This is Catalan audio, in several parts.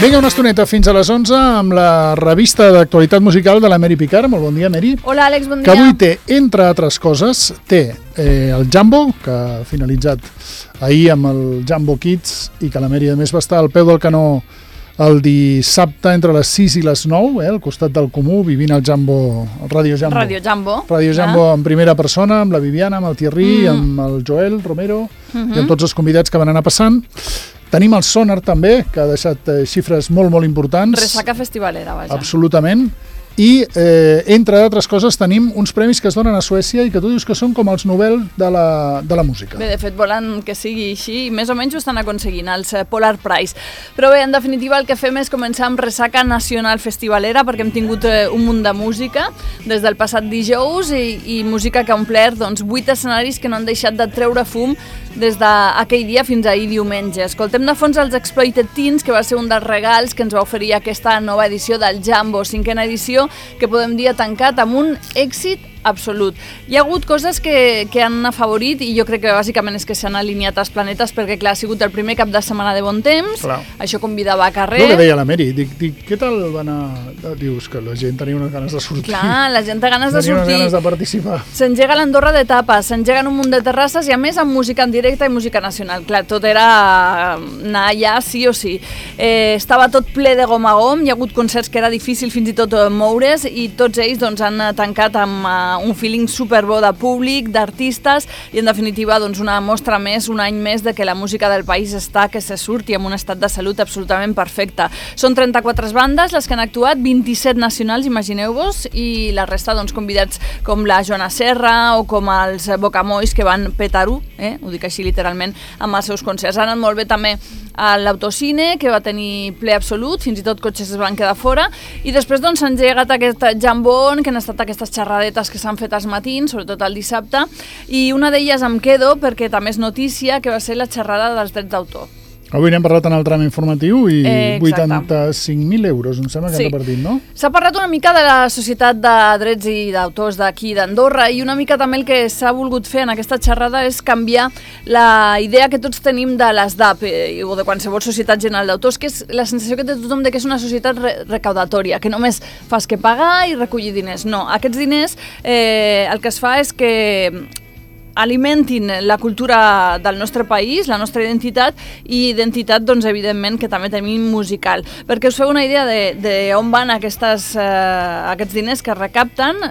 Vinga, una estoneta fins a les 11 amb la revista d'actualitat musical de la Mary Picard. Molt bon dia, Mary. Hola, Àlex, bon dia. Que avui té, entre altres coses, el Jambo, que ha finalitzat ahir amb el Jambo Kids i que la Mary, a més, va estar al peu del canó el dissabte entre les 6 i les 9, al costat del Comú, vivint el Jambo, el Radio Jambo. Radio Jambo. Radio Jambo en primera persona, amb la Viviana, amb el Thierry, amb el Joel Romero i amb tots els convidats que van anar passant. Tenim el Sonar també, que ha deixat xifres molt, molt importants. Ressaca festivalera, vaja. Absolutament. I, entre altres coses, tenim uns premis que es donen a Suècia i que tu dius que són com els Nobel de la música. Bé, de fet, volen que sigui així i més o menys ho estan aconseguint, els Polar Prize. Però bé, en definitiva, el que fem és començar amb Ressaca Nacional Festivalera, perquè hem tingut un munt de música des del passat dijous i música que ha omplert 8 escenaris que no han deixat de treure fum des d'aquell dia fins ahir diumenge. Escoltem de fons els Exploited Teens, que va ser un dels regals que ens va oferir aquesta nova edició del Jambo, 5ª edició, que podem dir ha tancat amb un èxit absolut. Hi ha hagut coses que han afavorit i jo crec que bàsicament és que s'han alineat els planetes perquè, clar, ha sigut el primer cap de setmana de bon temps, això convidava a carrer. El que deia la Mary, dic, què tal va anar? Dius que la gent tenia unes ganes de sortir. Clar, la gent té ganes de sortir. Tenia unes ganes de participar. S'engega l'Andorra d'etapes, s'engeguen un munt de terrasses i a més amb música en directe i música nacional. Clar, tot era anar allà sí o sí. Estava tot ple de gom a gom, hi ha hagut concerts que era difícil fins i tot moure's i tots ells han tancat amb un feeling superbo de públic, d'artistes i en definitiva una mostra més, un any més de que la música del país està que se surti amb un estat de salut absolutament perfecte. Són 34 bandes les que han actuat, 27 nacionals, imagineu-vos, i la resta convidats com la Joana Serra o com els Bocamois que van petar-ho, ho dic així literalment, amb els seus concerts. Ha anat molt bé també a l'Autocine, que va tenir ple absolut, fins i tot cotxes es van quedar fora, i després s'ha engegat aquest jambon, que han estat aquestes xerradetes que s'han fet als matins, sobretot el dissabte, i una d'elles em quedo perquè també és notícia, que va ser la xerrada dels drets d'autor. Avui n'hem parlat en el tram informatiu i 85.000 euros, em sembla que han repartit, no? S'ha parlat una mica de la Societat de Drets i d'Autors d'aquí d'Andorra i una mica també el que s'ha volgut fer en aquesta xerrada és canviar la idea que tots tenim de l'ESDAP o de qualsevol societat general d'autors, que és la sensació que té tothom de que és una societat recaudatòria, que només fas que pagar i recollir diners. No, aquests diners el que es fa és que alimentin la cultura del nostre país, la nostra identitat i identitat, evidentment, que també tenim musical. Perquè us feu una idea d'on van aquests diners que recapten,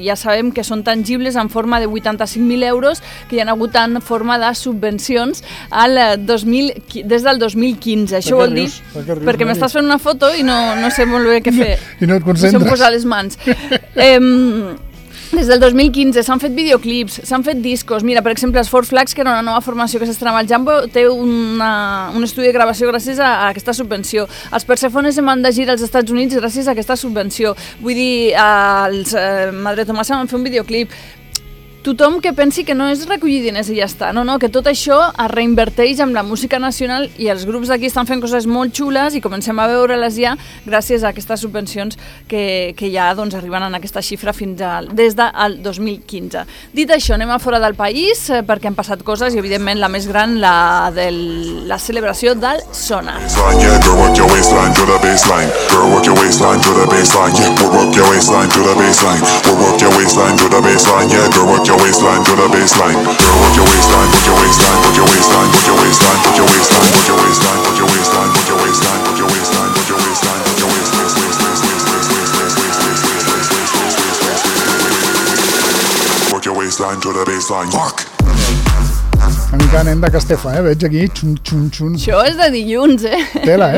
ja sabem que són tangibles en forma de 85.000 euros que hi ha hagut en forma de subvencions des del 2015. Això vol dir... Perquè m'estàs fent una foto i no sé molt bé què fer. I no et concentres. No sé on posar les mans. Des del 2015 s'han fet videoclips, s'han fet discos. Mira, per exemple, els Four Flags, que era una nova formació que s'estrenava al Jambo, té un estudi de gravació gràcies a aquesta subvenció. Els Persefones se'n van de gira als Estats Units gràcies a aquesta subvenció. Vull dir, els Madre Tomasa van fer un videoclip. Tothom que pensi que no és recollir diners i ja està, no, que tot això es reinverteix amb la música nacional i els grups d'aquí estan fent coses molt xules i comencem a veure-les ja gràcies a aquestes subvencions que ja arriben en aquesta xifra des del 2015. Dit això, anem a fora del país perquè han passat coses i evidentment la més gran, la celebració del Sonar. Your waistline to the baseline. Girl, work your waistline, put your waistline, put your waistline, put your waistline, put your waistline, put your waistline, put your waistline, put your waistline, put your waistline, put your waistline, put your waistline, work your waistline to the baseline. Fuck. Una mica nen de Castefa, veig aquí, xun. Això és de dilluns, Tela,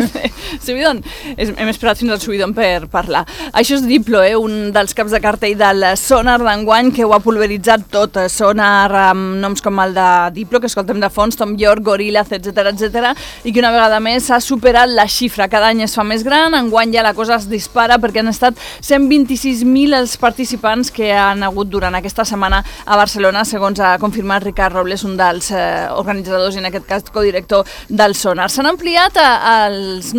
Subidon. Hem esperat fins al Subidon per parlar. Això és Diplo, un dels caps de cartell del Sonar d'enguany que ho ha pulveritzat tot. Sonar amb noms com el de Diplo, que escoltem de fons, Tom York, Gorillaz, etc. I que una vegada més s'ha superat la xifra. Cada any es fa més gran, enguany ja la cosa es dispara perquè han estat 126.000 els participants que han hagut durant aquesta setmana a Barcelona, segons ha confirmat Ricard Robles, un dels organitzadors i en aquest cas codirector del Sonar. S'han ampliat els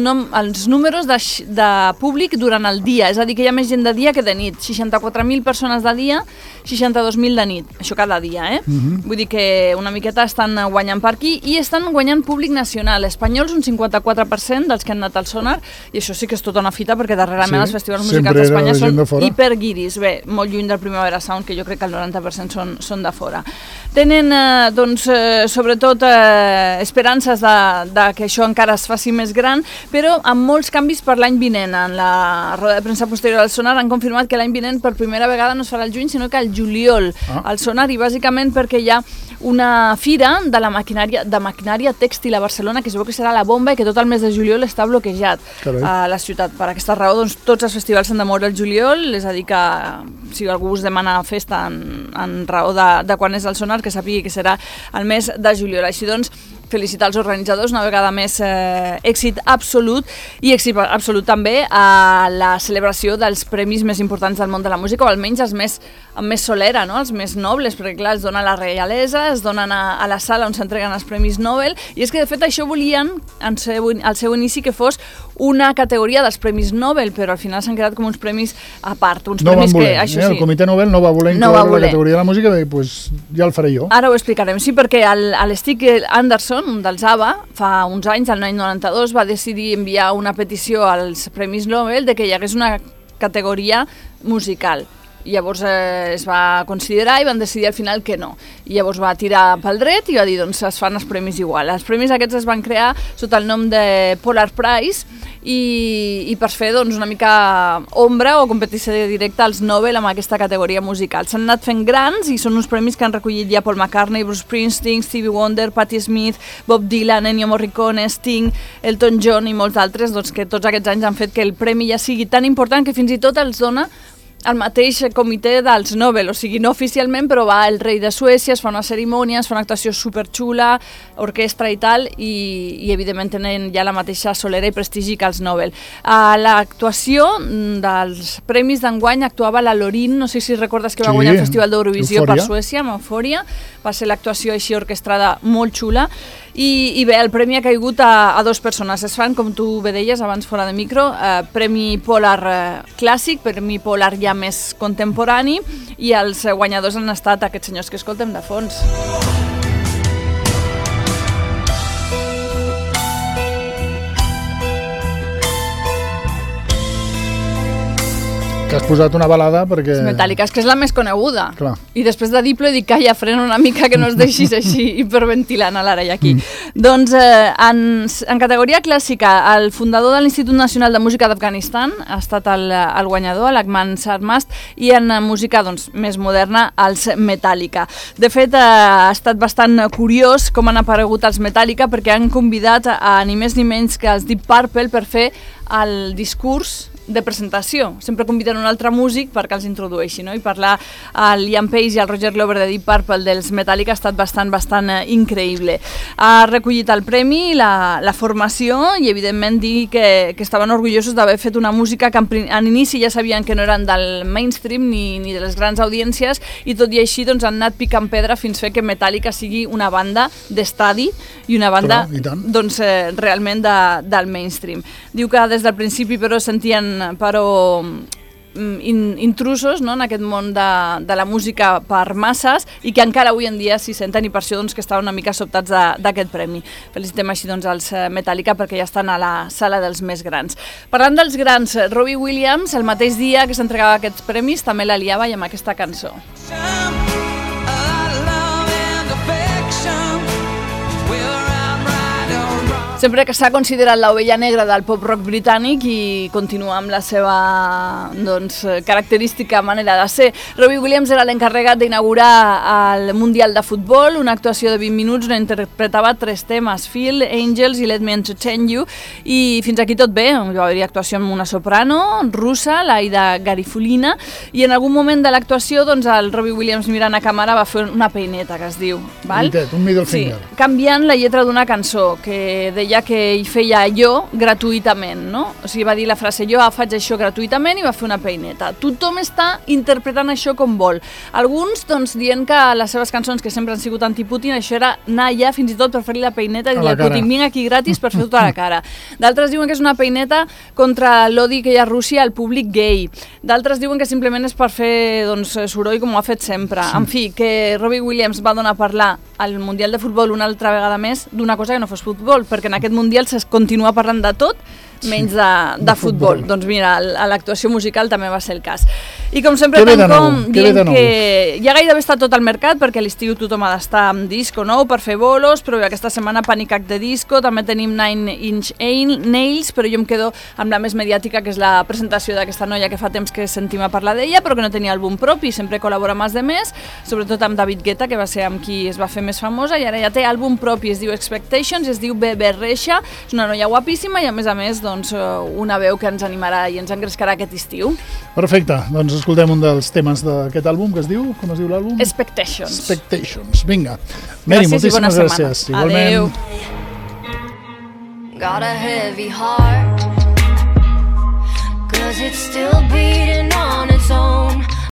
números de públic durant el dia, és a dir, que hi ha més gent de dia que de nit. 64.000 persones de dia, 62.000 de nit. Això cada dia, Vull dir que una miqueta estan guanyant per aquí i estan guanyant públic nacional. Espanyols, un 54% dels que han anat al Sonar, i això sí que és tota una fita, perquè darrerament els festivals musicals d'Espanya són hiperguiris. Bé, molt lluny del Primavera Sound, que jo crec que el 90% són de fora. Tenen, sobretot, esperances que això encara es faci més gran, però amb molts canvis per l'any vinent. En la roda de premsa posterior al Sonar han confirmat que l'any vinent per primera vegada no es farà el juny, sinó que el juliol al Sonar, i bàsicament perquè hi ha una fira de la maquinària tèxtil a Barcelona, que es veu que serà la bomba i que tot el mes de juliol està bloquejat a la ciutat. Per aquesta raó, doncs, tots els festivals s'han de moure el juliol, és a dir que si algú us demana festa en raó de quan és el Sonar, que sàpigui que serà el mes de juliol. Així doncs, felicitar els organitzadors, una vegada més èxit absolut, i èxit absolut també a la celebració dels premis més importants del món de la música, o almenys els amb més solera, no? Els més nobles, perquè clar, es dona a la reialesa, es donen a la sala on s'entreguen els premis Nobel, i és que de fet això volien al seu inici que fos una categoria dels premis Nobel, però al final s'han quedat com uns premis a part, uns premis que, això sí, el Comitè Nobel no va voler incloure la categoria de la música, i doncs ja el faré jo. Ara ho explicarem, sí, perquè l'Stig Anderson, un dels ABBA, fa uns anys, l'any 92, va decidir enviar una petició als Premis Nobel de que hi hagués una categoria musical. Llavors es va considerar i van decidir al final que no. I llavors va tirar pel dret i va dir, doncs es fan els premis igual. Els premis aquests es van crear sota el nom de Polar Prize i per fer doncs, una mica ombra o competició directa als Nobel amb aquesta categoria musical. S'han anat fent grans i són uns premis que han recollit ja Paul McCartney, Bruce Springsteen, Stevie Wonder, Patti Smith, Bob Dylan, Ennio Morricone, Sting, Elton John i molts altres, doncs, que tots aquests anys han fet que el premi ja sigui tan important que fins i tot els dona el mateix comitè dels Nobel, o sigui, no oficialment, però va el rei de Suècia, es fa una cerimònia, es fa una actuació superxula, orquestra i tal, i evidentment tenen ja la mateixa solera i prestigi que els Nobel. A l'actuació dels premis d'enguany actuava la Loreen, no sé si recordes que va guanyar el Festival d'Eurovisió per Suècia, amb Eufòria, va ser l'actuació així orquestrada molt xula, i bé, el premi ha caigut a dues persones. Es fan, com tu bé deies abans fora de micro, Premi Polar Clàssic, Premi Polar ja més contemporani, i els guanyadors han estat aquests senyors que escoltem de fons. Que has posat una balada perquè... Metallica, és que és la més coneguda. Clar. I després de Diplo he dit, calla, frena una mica, que no es deixis així hiperventilant a l'ara i aquí. Doncs en categoria clàssica, el fundador de l'Institut Nacional de Música d'Afganistan ha estat el guanyador, l'Ahmad Sarmast, i en música doncs, més moderna, els Metallica. De fet, ha estat bastant curiós com han aparegut els Metallica, perquè han convidat a ni més ni menys que els Deep Purple per fer el discurs de presentació. Sempre conviden un altre músic perquè els introdueixi, no? I parlar al Ian Page i al Roger Glover de Deep Purple dels Metallica ha estat bastant increïble. Ha recollit el premi, la formació, i evidentment dir que estaven orgullosos d'haver fet una música que en inici ja sabien que no eren del mainstream ni de les grans audiències, i tot i així doncs, han anat picant pedra fins a fer que Metallica sigui una banda d'estadi i una banda doncs, realment del mainstream. Diu que des del principi però sentien intrusos, no?, en aquest món de la música per masses, i que encara avui en dia s'hi senten, i per això doncs, que estaven una mica sobtats d'aquest premi. Felicitem així doncs, els Metallica perquè ja estan a la sala dels més grans. Parlant dels grans, Robbie Williams, el mateix dia que s'entregava aquests premis, també la liava i amb aquesta cançó. Sempre que s'ha considerat l'ovella negra del pop-rock britànic i continua amb la seva doncs, característica manera de ser. Robbie Williams era l'encarregat d'inaugurar el Mundial de Futbol, una actuació de 20 minuts on interpretava 3 temes, Feel, Angels i Let Me Entertain You, i fins aquí tot bé. Va haver-hi actuació amb una soprano russa, l'Aida Garifulina, i en algun moment de l'actuació doncs, el Robbie Williams mirant a càmera va fer una peineta, que es diu. Val? Un middle finger. Sí, canviant la lletra d'una cançó que deia deia que hi feia allò gratuïtament, no? O sigui, va dir la frase, jo faig això gratuïtament i va fer una peineta. Tothom està interpretant això com vol. Alguns, doncs, dient que les seves cançons, que sempre han sigut anti-Putin, això era anar allà fins i tot per fer-li la peineta i dir a Putin, vinc aquí gratis per fer tota la cara. D'altres diuen que és una peineta contra l'odi que hi ha a Rússia al públic gay. D'altres diuen que simplement és per fer doncs, soroll com ho ha fet sempre. En fi, que Robbie Williams va donar a parlar al Mundial de Futbol una altra vegada més d'una cosa que no fos futbol, perquè en aquest Mundial es continua parlant de tot menys de futbol. Doncs mira, a l'actuació musical també va ser el cas. I com sempre tanco dient que ja gairebé està tot al mercat, perquè a l'estiu tothom ha d'estar amb disco nou per fer bolos, però aquesta setmana Panic At The Disco, també tenim Nine Inch Nails, però jo em quedo amb la més mediàtica, que és la presentació d'aquesta noia que fa temps que sentim a parlar d'ella, però que no tenia àlbum propi, sempre col·labora amb els demés, sobretot amb David Guetta, que va ser amb qui es va fer més famosa, i ara ja té àlbum propi, es diu Expectations, es diu Bebe Rexha, és una noia guapíssima i a més, doncs, una veu que ens animarà i ens engrescarà aquest estiu. Perfecte, doncs escoltem un dels temes d'aquest àlbum que es diu, com es diu l'àlbum? Expectations. Vinga. Mary, moltíssimes gràcies. Adéu. Got a heavy heart, 'cause it's still beating on its own.